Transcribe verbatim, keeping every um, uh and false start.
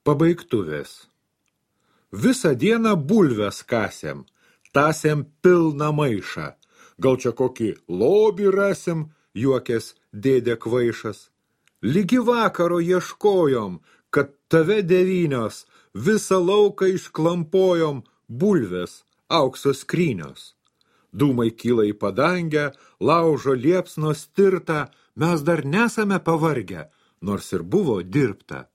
Pabaigtuvės. Visą dieną bulves kasėm, tasėm pilną maišą. Gal čia kokį lobį rasim, juokės dėdė kvaišas. Ligi vakaro ieškojom, kad tave devynios, visą lauką išklampojom, bulves, aukso skrynios. Dūmai kyla į padangę, laužo liepsnos tirta, mes dar nesame pavargę, nors ir buvo dirbta.